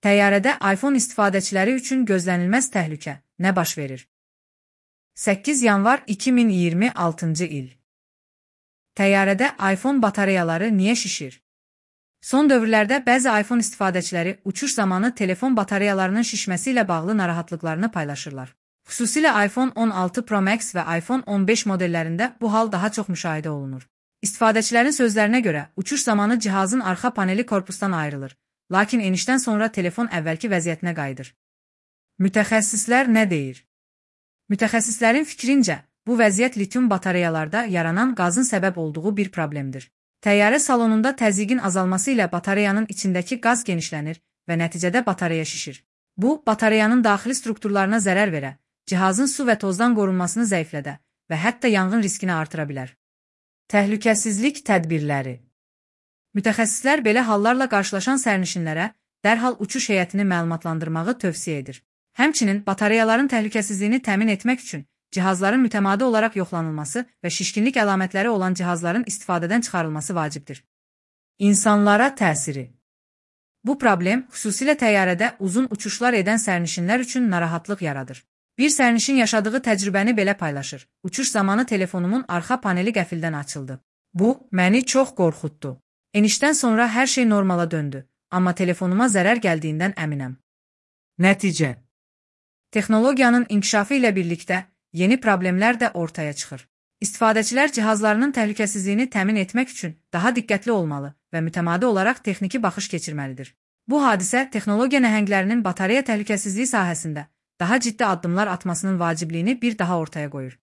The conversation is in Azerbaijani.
Təyyarədə iPhone istifadəçiləri üçün gözlənilməz təhlükə nə baş verir? 8 yanvar 2026-cı il. Təyyarədə iPhone batareyaları niyə şişir? Son dövrlərdə bəzi iPhone istifadəçiləri uçuş zamanı telefon batareyalarının şişməsi ilə bağlı narahatlıqlarını paylaşırlar. Xüsusilə iPhone 16 Pro Max və iPhone 15 modellərində bu hal daha çox müşahidə olunur. İstifadəçilərin sözlərinə görə uçuş zamanı cihazın arxa paneli korpusdan ayrılır, lakin enişdən sonra telefon əvvəlki vəziyyətinə qayıdır. Mütəxəssislər nə deyir? Mütəxəssislərin fikrincə, bu vəziyyət litium batareyalarda yaranan qazın səbəb olduğu bir problemdir. Təyyarə salonunda təzyiqin azalması ilə batareyanın içindəki qaz genişlənir və nəticədə batareya şişir. Bu, batareyanın daxili strukturlarına zərər verə, cihazın su və tozdan qorunmasını zəiflədə və hətta yanğın riskini artıra bilər. Təhlükəsizlik tədbirləri. Mütəxəssislər belə hallarla qarşılaşan sərnişinlərə dərhal uçuş heyətini məlumatlandırmağı tövsiyə edir. Həmçinin batareyaların təhlükəsizliyini təmin etmək üçün cihazların mütəmadi olaraq yoxlanılması və şişkinlik əlamətləri olan cihazların istifadədən çıxarılması vacibdir. İnsanlara təsiri. Bu problem xüsusilə təyyarədə uzun uçuşlar edən sərnişinlər üçün narahatlıq yaradır. Bir sərnişin yaşadığı təcrübəni belə paylaşır. Uçuş zamanı telefonumun arxa paneli qəfildən açıldı. Bu, məni çox qorxutdu. Enişdən sonra hər şey normala döndü, amma telefonuma zərər gəldiyindən əminəm. Nəticə. Texnologiyanın inkişafı ilə birlikdə yeni problemlər də ortaya çıxır. İstifadəçilər cihazlarının təhlükəsizliyini təmin etmək üçün daha diqqətli olmalı və mütəmadi olaraq texniki baxış keçirməlidir. Bu hadisə texnologiya nəhənglərinin batareya təhlükəsizliyi sahəsində daha ciddi addımlar atmasının vacibliyini bir daha ortaya qoyur.